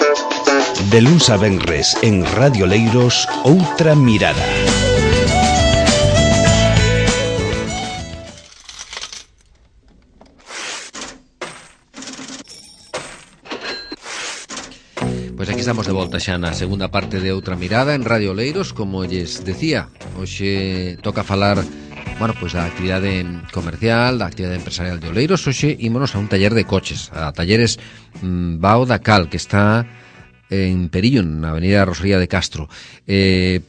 De luns a venres en Radio Leiros, Outra Mirada. Pois aquí estamos de volta xa na segunda parte de Outra Mirada en Radio Leiros, como lles decía. Hoxe toca falar, bueno, pois da actividade comercial, da actividade empresarial de Oleiros. Hoxe ímonos a un taller de coches, a Talleres Bao da Cal, que está en Perillo, na avenida Rosalía de Castro,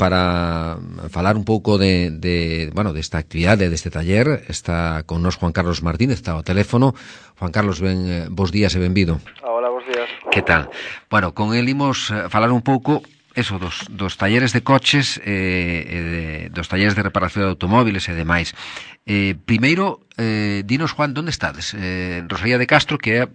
para falar un pouco desta actividade, deste taller. Está con nos Juan Carlos Martínez, está ao teléfono. Juan Carlos, bos días e benvido. Hola, bos días. Que tal? Bueno, con el imos falar un pouco eso dos talleres de coches, dos talleres de reparación de automóviles e demais. Primeiro, dinos, Juan, onde estades? Rosalía de Castro, que é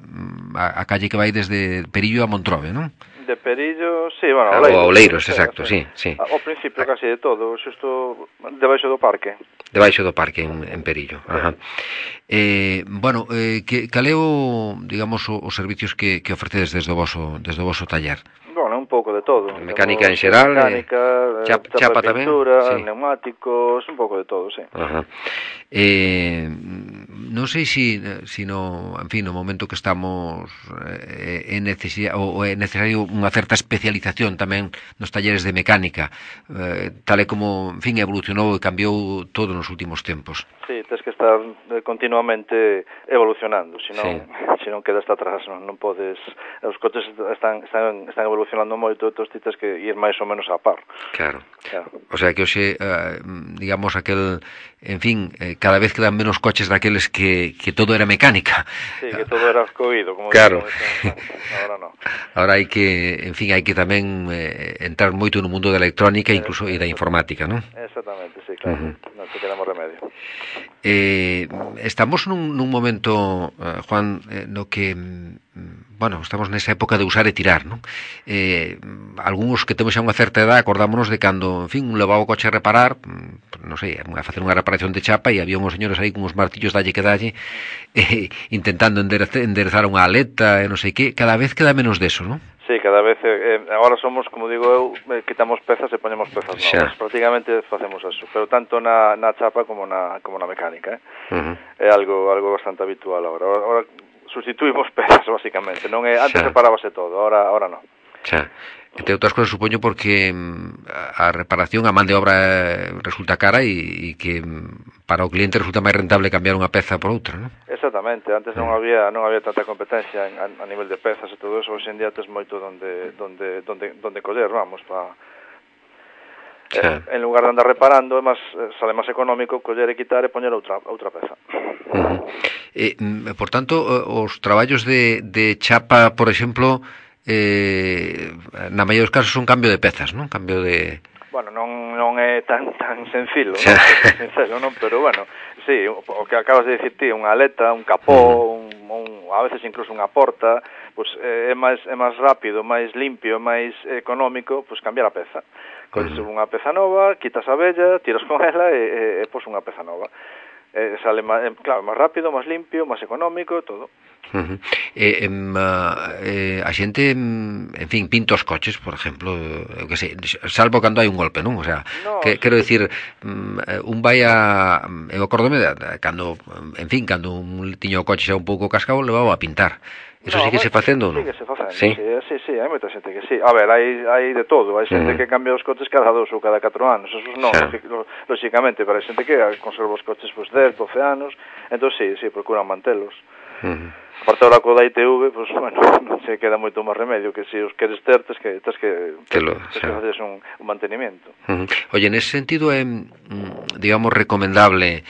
a calle que vai desde Perillo a Montrobe, non? De Perillo, sí, bueno, a Oleiros, exacto, sí. Ao principio casi de todo, xusto debaixo do parque. Debaixo do parque en Perillo. Ajá. Bueno, cal é digamos, os servicios que ofrecedes desde o voso taller? Bueno, un pouco de todo. Mecánica en xeral, chapa tamén, pintura, sí. Neumáticos, un pouco de todo, sí. Ajá. Non sei si no, en fin, no momento que estamos é necesario unha certa especialización tamén nos talleres de mecánica, tal e como, en fin, evolucionou e cambiou todo nos últimos tempos. Sí, tens que estar continuamente evolucionando, senón quedas atrás, non podes, os coches están evolucionando moito, entón ti tens que ir máis ou menos a par. Claro. O sea que hoxe, digamos, en fin, cada vez quedan menos coches daqueles que todo era mecánica. Sí, que todo era coído, como claro. Ahora non. Ahora hai que, en fin, hai que tamén entrar moito no mundo da electrónica incluso e da informática, non? Exactamente, sí, claro. Non te quedamos remedio. Estamos nun momento, Juan, no que, bueno, estamos nesa época de usar e tirar, non? Algúns que temos xa unha certa edad acordámonos de cando, en fin, un levaba o coche a reparar, non sei, a facer unha reparación de chapa e había uns señores aí con uns martillos dalle que dalle, intentando enderezar unha aleta e non sei que. Cada vez queda menos deso, non? Sí, cada vez, agora somos, como digo eu, quitamos pezas e ponemos pezas novas, prácticamente facemos eso, pero tanto na chapa como na mecánica, é algo bastante habitual agora sustituímos pezas, basicamente, non é, antes reparábase todo, agora non. Xa. Entre outras cousas, supoño, porque a reparación, a man de obra resulta cara e que para o cliente resulta máis rentable cambiar unha peza por outra, non? Exactamente, antes non había tanta competencia a nivel de pezas e todo eso, hoxe en día tes moito donde coller, vamos, en lugar de andar reparando, sale máis económico coller e quitar e poñer outra peza. Por tanto, os traballos de chapa, por exemplo, na maioría dos casos son cambio de pezas, non? Cambio de... Bueno, non é tan sencillo, sincero, non? Pero bueno, sí, o que acabas de dicir ti, unha aleta, un capó, a veces incluso unha porta, pues é máis rápido, máis limpio, máis económico, pues cambiar a peza. Colles unha peza nova, quitas a vella, tiras con ela e pos unha peza nova. Sale máis rápido, máis limpio, máis económico, todo. A xente, en fin, pinta os coches, por exemplo, eu que sei, salvo cando hai un golpe, non? O sea, quero dicir, un vai eu acórdome cando, en fin, cando un tiño o coche xa un pouco cascado, levaba a pintar. Eso sigue se facendo, non? Sigue se facendo, sí, hai moita xente que sí. A ver, hai de todo, hai xente que cambia os coches cada 2 ou cada 4 anos, eso non, lógicamente, pero hai xente que conserva os coches 10, 12 anos, entón sí, procuran mantelos. Aparte ahora co da ITV, pues bueno, se queda moito máis remedio que se os queres ter, tens que facer un mantenimiento. Oye, nese sentido é, digamos, recomendable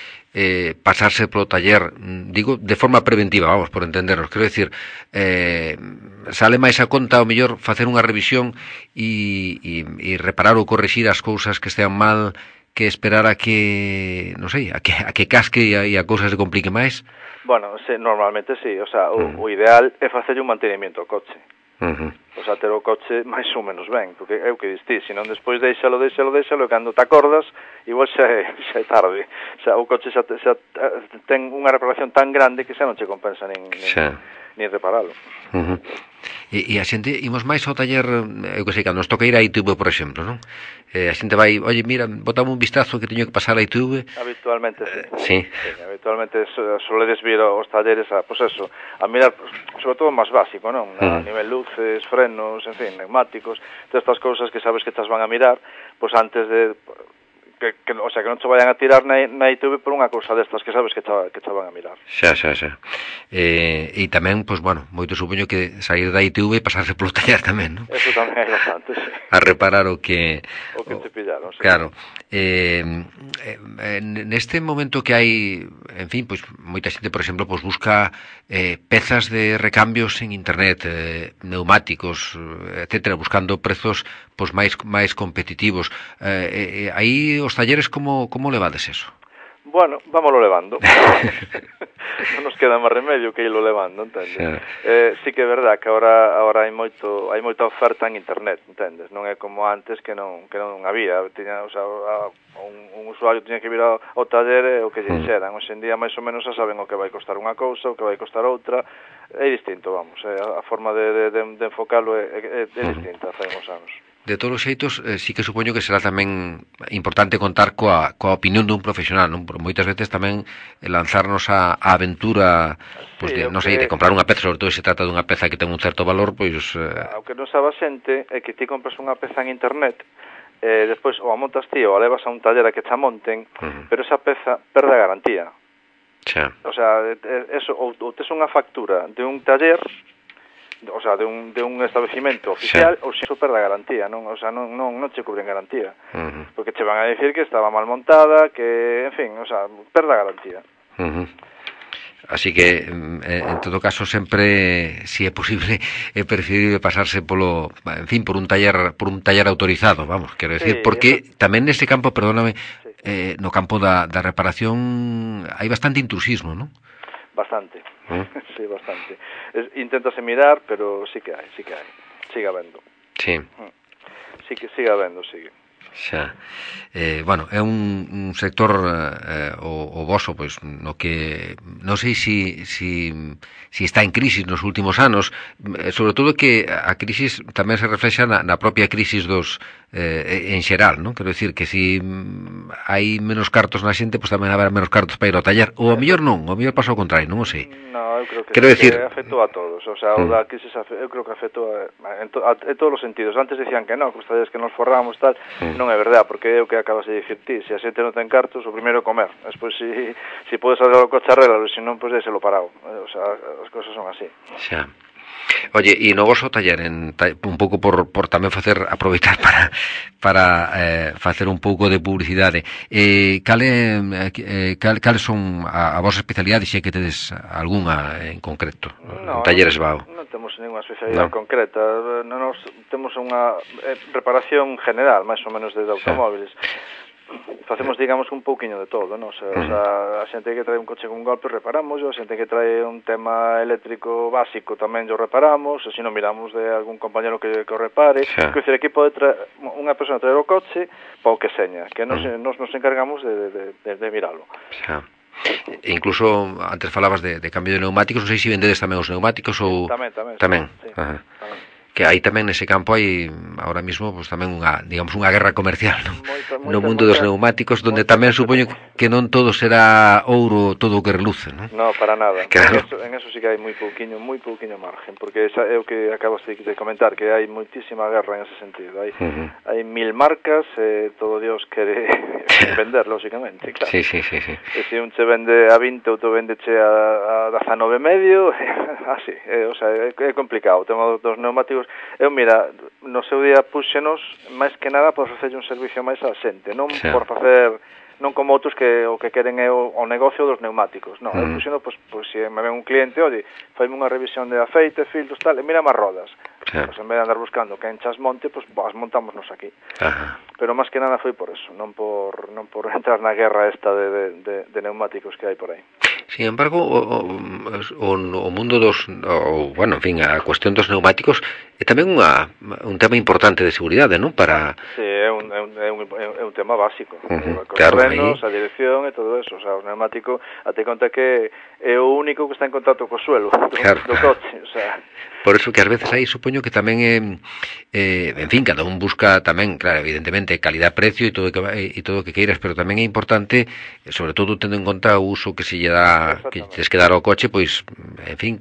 pasarse polo taller, digo, de forma preventiva, vamos, por entendernos, quero dicir, sale máis a conta ao mellor facer unha revisión e reparar ou corrixir as cousas que estean mal que esperar a que, non sei, a que casque e a cousa se complique máis? Bueno, normalmente sí, o sea, o ideal é facer un mantenimiento ao coche. O sea, ter o coche máis ou menos ben, porque é o que distí, senón despois deixalo, e cando te acordas, igual xa é tarde. O sea, o coche xa ten unha reparación tan grande que xa non che compensa nin reparalo. E a xente, imos máis ao taller, eu que sei, cando nos toca ir a ITV, por exemplo, non? A xente vai, oye, mira, botame un vistazo que teño que pasar a ITV. Habitualmente, sí. Habitualmente soledes vir aos talleres a, pues eso, a mirar, sobre todo máis básico, non? A nivel luces, frenos, en fin, neumáticos, todas estas cousas que sabes que te van a mirar, pues antes de... o sea, que non te vayan a tirar na ITV por unha cousa destas que sabes que te van a mirar. Xa. E tamén, pois, bueno, moito supoño que sair da ITV e pasarse polo taller tamén, non? Eso tamén é bastante, sí. A reparar o que te pillaron, sí. Claro. Neste momento que hai, en fin, pois moita xente, por exemplo, pois busca pezas de recambios en internet, neumáticos, etcétera, buscando prezos pois máis competitivos. Aí os talleres como levades eso? Bueno, vámoslo levando. Non nos queda máis remedio que irlo levando, entendes? Sí que é verdad que agora hai moita oferta en internet, entendes? Non é como antes que non había, tiña, o sea, un usuario tiña que vir ao taller e o que lle dixeran. Hoxe en día máis ou menos xa saben o que vai costar unha cousa, o que vai costar outra, é distinto, vamos, a forma de enfocarlo é distinta, fai uns anos. De todos os xeitos, sí que supoño que será tamén importante contar coa opinión dun profesional, non? Por moitas veces tamén lanzarnos a aventura, pois, sí, non sei, de comprar unha peza, sobre todo se trata dunha peza que ten un certo valor, pois... O que non sabe a xente é que ti compras unha peza en internet, despois ou a montas ti ou a levas a un taller a que te monten, pero esa peza perde a garantía. Xa. O sea, eso, ou tes unha factura de un taller... o sea, de un establecimento oficial, ou se iso perde a garantía, non? O sea, non che cubren garantía. Porque che van a decir que estaba mal montada, que, en fin, o sea, perde a garantía. Así que, en todo caso, sempre, si é posible, é preferible pasarse polo, en fin, por un taller autorizado, vamos, quero decir, porque tamén neste campo, perdóname, no campo da reparación hai bastante intrusismo, non? Bastante, sí, bastante. Inténtase mirar, pero sí que hai. Sigue habendo. Sí. Sí que sigue habendo, sigue. Xa. Bueno, é un sector o voso, pois, no que non sei si está en crisis nos últimos anos, sobre todo que a crisis tamén se reflexa na propia crisis dos en xeral, non? Quero dicir que si hai menos cartos na xente, pois tamén haberá menos cartos para ir ao taller, ou a mellor non, o mellor pasa ao contrario, non o sei. No, eu creo que afectou a todos, o sea, o da crisis eu creo que afectou en todos os sentidos. Antes decían que non, que os talleres que nos forramos tal, non é verdade, porque é o que acabas de dicir ti, se a xente non ten cartos, o primeiro é comer, despois si podes salir ao coche arreglalo, se non, pois deixelo parado, o sea, as cousas son así. Xa. Oye, e no vosso taller, un pouco por tamén aproveitar para facer un pouco de publicidade, cales son a vosa especialidade, se é que tedes algunha en concreto, en talleres BAO? Non temos ninguna especialidade concreta, nos temos unha reparación general, máis ou menos de automóviles. Facemos, digamos, un pouquiño de todo, non? O sea, a xente que trae un coche con golpe reparamos, a xente que trae un tema eléctrico básico tamén o reparamos, e se non miramos de algún compañero que o repare. Quer dizer, aquí pode unha persona traer o coche para o que seña, que nos encargamos de miralo. Xa. Incluso antes falabas de cambio de neumáticos, non sei se vendedes tamén os neumáticos ou... Tamén. Sí, tamén. Que aí tamén nese campo hai ahora mismo pues tamén unha guerra comercial, non? No mundo dos neumáticos, donde tamén supoño que non todo será ouro todo o que reluce, non? No, para nada. Claro. En eso sí que hai moi pouquiño margen, porque é o que acabas de comentar, que hai moitísima guerra en ese sentido. Hai 1000 marcas, todo Dios quere vender, lógicamente, claro. Sí. E se un che vende a 20, outro vendeche a 19 medio, así, o sea, é complicado. O tema dos neumáticos, eu, mira, no seu día puxenos máis que nada por facerlle un servicio máis á xente, non por facer, non como outros que o que queren é o negocio dos neumáticos, non, eu puxeno, pois se me ven un cliente, oi, faime unha revisión de aceite, filtros, tal, e mira máis rodas, pois en vez de andar buscando que enchas monte, pois as montámonos aquí. Pero máis que nada foi por eso, non por entrar na guerra esta de neumáticos que hai por aí. Sin embargo, o mundo dos, bueno, en fin, a cuestión dos neumáticos E tamén un tema importante de seguridade, non? Para... Sí, é un tema básico. Claro, Frenos, a dirección e todo eso. O sea, o pneumático, ate conta que é o único que está en contacto co suelo do coche. O sea... Por eso que ás veces aí supoño que tamén en fin, cada un busca tamén, claro, evidentemente, calidad-precio e todo o que queiras, pero tamén é importante, sobre todo tendo en conta o uso que se lle dá, que tens que dar ao coche, pois, en fin,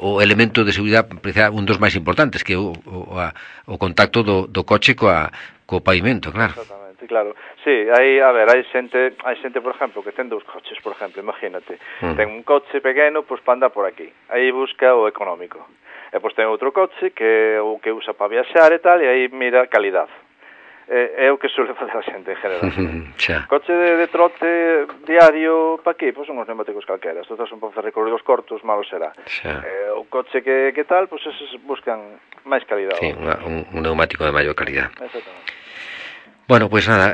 o elemento de seguridade, un dos máis importantes, que é o contacto do coche co pavimento, claro. Exactamente, claro. Sí, hai xente, por exemplo, que ten 2 coches, por exemplo, imagínate. Ten un coche pequeno, pois para andar por aquí. Aí busca o económico. E pois ten outro coche que o que usa para viaxar e tal, e aí mira calidad. É o que suele facer a xente en general. Coche de trote diario para aquí, pois son os neumáticos calqueras. Todos son para facer recorridos cortos, malo será. O coche que tal, pois esos buscan máis calidad. Sí, un neumático de maior calidad. Exactamente. Bueno, pues nada,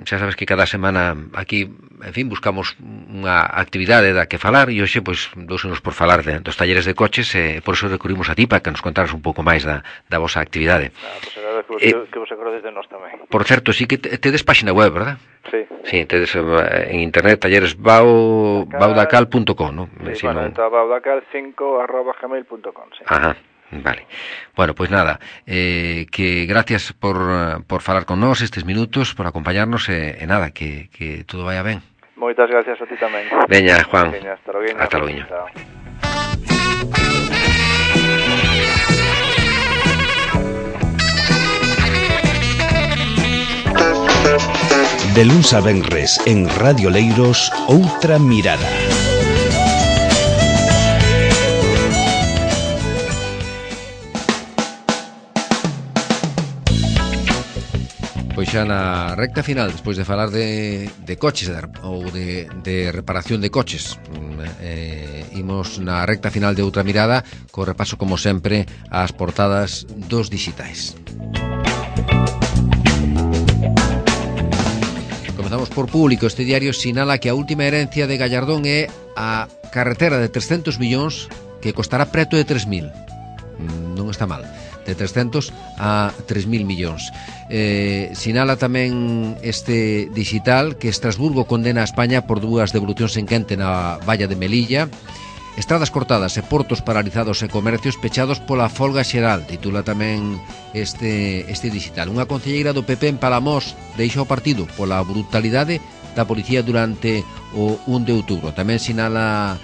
xa sabes que cada semana aquí, en fin, buscamos unha actividade da que falar e hoxe, pois, dousenos por falar dos talleres de coches e por eso recurrimos a ti para que nos contaras un pouco máis da vosa actividade. Pois agradezco que vos acordéis de nós tamén. Por certo, sí que tedes página web, verdad? Sí. Sí, tedes en internet talleres baudacal.com, ¿no? Sí, bueno, está baudacal5@gmail.com, sí. Ajá. Vale. Bueno, pues nada, que gracias por falar con nós estes minutos, por acompañarnos e nada, que todo vaya ben. Moitas gracias a ti tamén. Veña, Juan. Veña, hasta logo. Hasta logo. De luns a venres en Radio Leiros, Outra Mirada. Pois xa na recta final, despois de falar de coches ou de reparación de coches, imos na recta final de Outra Mirada, co repaso, como sempre, ás portadas dos dixitais. Comezamos por Público. Este diario sinala que a última herencia de Gallardón é a carretera de 300 millóns que costará preto de 3.000. Non está mal. De 300 a 3.000 millóns. Sinala tamén este digital que Estrasburgo condena a España por 2 devolucións en quente na valla de Melilla. Estradas cortadas e portos paralizados e comercios pechados pola folga xeral, titula tamén este digital. Unha concelleira do PP en Palamós deixa o partido pola brutalidade da policía durante o 1 de outubro. Tamén sinala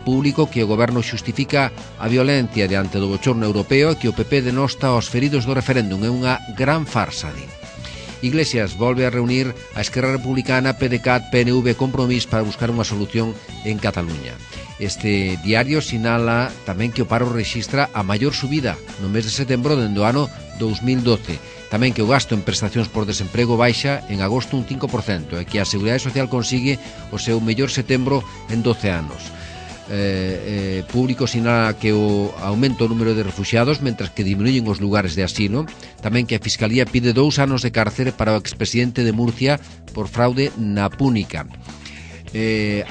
Público que o goberno xustifica a violencia diante do bochorno europeo e que o PP denosta aos feridos do referéndum. É unha gran farsa, di. Iglesias volve a reunir a Esquerra Republicana, PDeCAT, PNV e Compromís para buscar unha solución en Cataluña. Este diario sinala tamén que o paro rexistra a maior subida no mes de setembro dende o ano 2012. Tamén que o gasto en prestacións por desemprego baixa en agosto un 5% e que a Seguridade Social consigue o seu mellor setembro en 12 anos. Público sinala que o aumenta o número de refuxiados mentras que diminuyen os lugares de asilo. Tamén que a Fiscalía pide 2 anos de cárcere para o expresidente de Murcia por fraude na Púnica.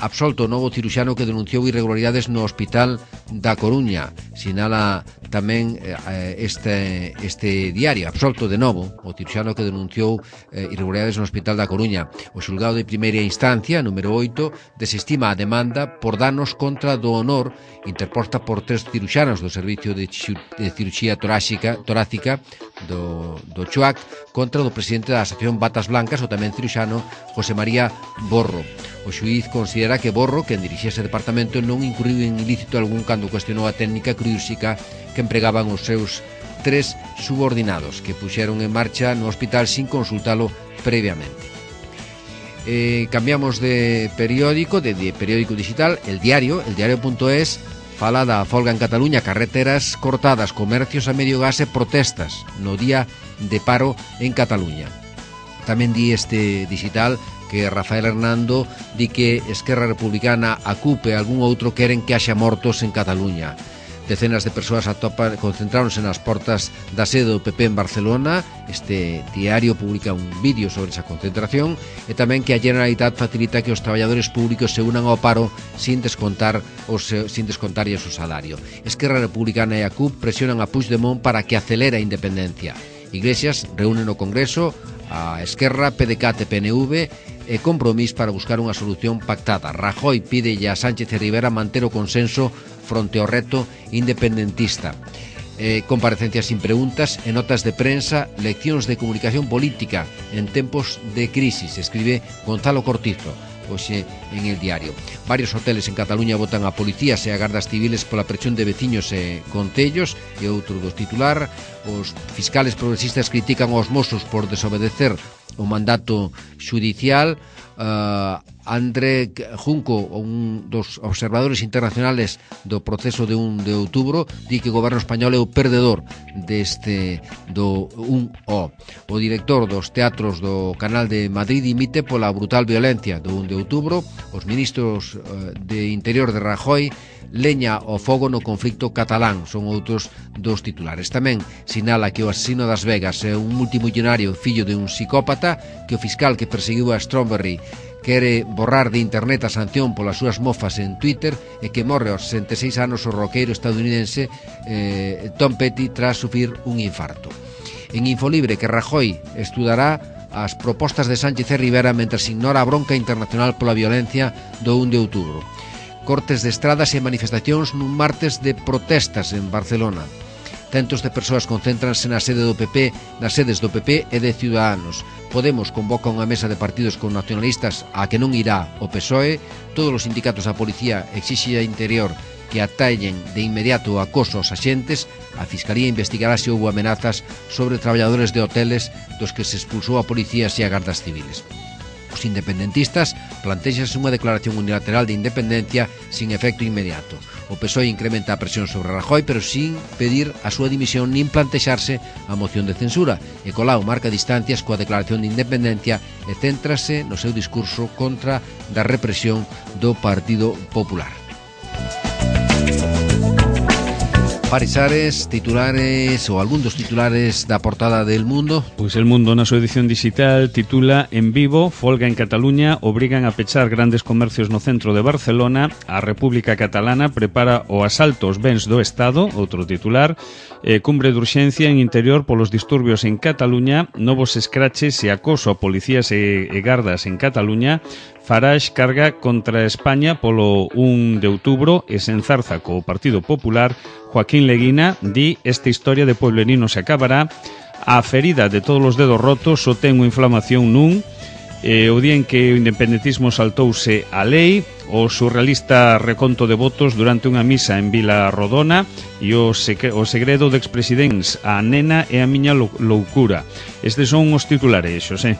Absolto o novo ciruxano que denunciou irregularidades no Hospital da Coruña. Sinala tamén este diario. Absolto de novo o ciruxano que denunciou irregularidades no Hospital da Coruña. O xulgado de primeira instancia, número 8, desestima a demanda por danos contra do honor interposta por 3 ciruxanos do Servicio de Cirurxía Torácica do CHUAC contra o presidente da Asociación Batas Blancas, o tamén ciruxano José María Borro. O xuíz considera que Borro, quen dirixía ese departamento, non incurriu en ilícito algún cando cuestionou a técnica quirúrxica que empregaban os seus 3 subordinados que puxeron en marcha no hospital sin consultalo previamente. Cambiamos de periódico, de periódico digital. El diario.es fala da folga en Cataluña, carreteras cortadas, comercios a medio gas e protestas no día de paro en Cataluña. Tamén di este digital que Rafael Hernando di que Esquerra Republicana, a CUP e algún outro queren que haxa mortos en Cataluña. Decenas de persoas concentráronse nas portas da sede do PP en Barcelona. Este diario publica un vídeo sobre esa concentración e tamén que a Generalitat facilita que os traballadores públicos se unan ao paro sin descontarlle o seu salario. Esquerra Republicana e a CUP presionan a Puigdemont para que acelere a independencia. Iglesias reúne no Congreso a Esquerra, PDeCAT e PNV e Compromís para buscar unha solución pactada. Rajoy pídelle a Sánchez e Rivera manter o consenso fronte ao reto independentista. Comparecencias sin preguntas e notas de prensa, leccións de comunicación política en tempos de crisis, escribe Gonzalo Cortizo hoxe en El Diario. Varios hoteles en Cataluña votan a policías e a gardas civiles pola presión de veciños e concellos. E outro dos titular, os fiscales progresistas critican aos mozos por desobedecer o mandato xudicial. André Junco, un dos observadores internacionales do proceso de 1 de outubro, di que o goberno español é o perdedor deste do 1O. O director dos teatros do Canal de Madrid dimite pola brutal violencia do 1 de outubro. Os ministros de Interior de Rajoy leña ao fogo no conflicto catalán, son outros dos titulares. Tamén sinala que o asesino das Vegas é un multimillonario fillo de un psicópata, que o fiscal que perseguiu a Strawberry quere borrar de internet a sanción polas súas mofas en Twitter, e que morre aos 66 anos o roqueiro estadounidense Tom Petty tras sufrir un infarto. En Infolibre, que Rajoy estudará as propostas de Sánchez e Rivera mentres ignora a bronca internacional pola violencia do 1 de outubro. Cortes de estradas e manifestacións nun martes de protestas en Barcelona. Centos de persoas concéntranse nas sedes do PP e de Ciudadanos. Podemos convoca unha mesa de partidos con nacionalistas a que non irá o PSOE. Todos os sindicatos da policía exixe a Interior que atallen de inmediato o acoso aos axentes. A Fiscalía investigará se houbo amenazas sobre traballadores de hoteles dos que se expulsou a policías e a gardas civiles. Os independentistas plantexanse unha declaración unilateral de independencia sin efecto inmediato. O PSOE incrementa a presión sobre Rajoy, pero sin pedir a súa dimisión nin plantexarse a moción de censura. E Colau marca distancias coa declaración de independencia e céntrase no seu discurso contra da represión do Partido Popular. Parisares, titulares ou algún dos titulares da portada del Mundo. Pois El Mundo na súa edición digital titula En Vivo, folga en Cataluña, obrigan a pechar grandes comercios no centro de Barcelona, a República Catalana prepara o asalto aos bens do Estado, outro titular, cumbre de urxencia en Interior polos disturbios en Cataluña, novos escraches e acoso a policías e gardas en Cataluña. Farage carga contra España polo 1 de outubro e se enzarza co Partido Popular. Joaquín Leguina di esta historia de pueblerino se acabará. A ferida de todos os dedos rotos só ten unha inflamación nun. O día en que o independentismo saltouse a lei, o surrealista reconto de votos durante unha misa en Vila Rodona e o segredo de expresidentes, a nena e a miña loucura. Estes son os titulares, Xosé.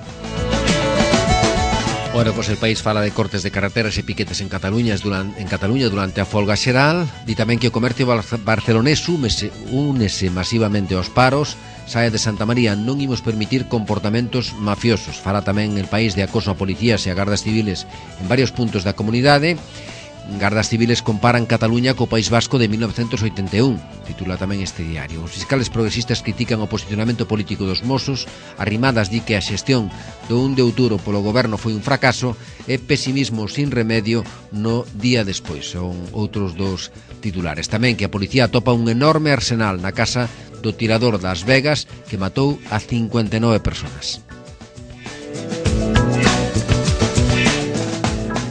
Bueno, pues el País fala de cortes de carreteras e piquetes en Cataluña durante a folga xeral. Di tamén que o comercio barcelonés únese masivamente aos paros. Sae de Santa María, non imos permitir comportamentos mafiosos. Fala tamén el País de acoso a policías e a gardas civiles en varios puntos da comunidade. Gardas civiles comparan Cataluña co País Vasco de 1981, titula tamén este diario. Os fiscales progresistas critican o posicionamento político dos mozos. Arrimadas di que a xestión do 1 de outubro polo goberno foi un fracaso e pesimismo sin remedio no día despois. Son outros dos titulares. Tamén que a policía atopa un enorme arsenal na casa do tirador das Vegas que matou a 59 persoas.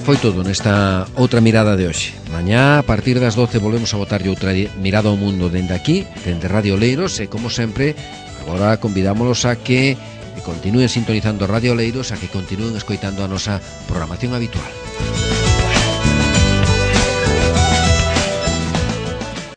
Foi todo nesta outra mirada de hoxe. Mañá, a partir das 12, volvemos a botarlle outra mirada ao mundo dende aquí, dende Radio Oleiros, e como sempre, agora convidámolos a que continúen sintonizando Radio Oleiros, a que continúen escoitando a nosa programación habitual.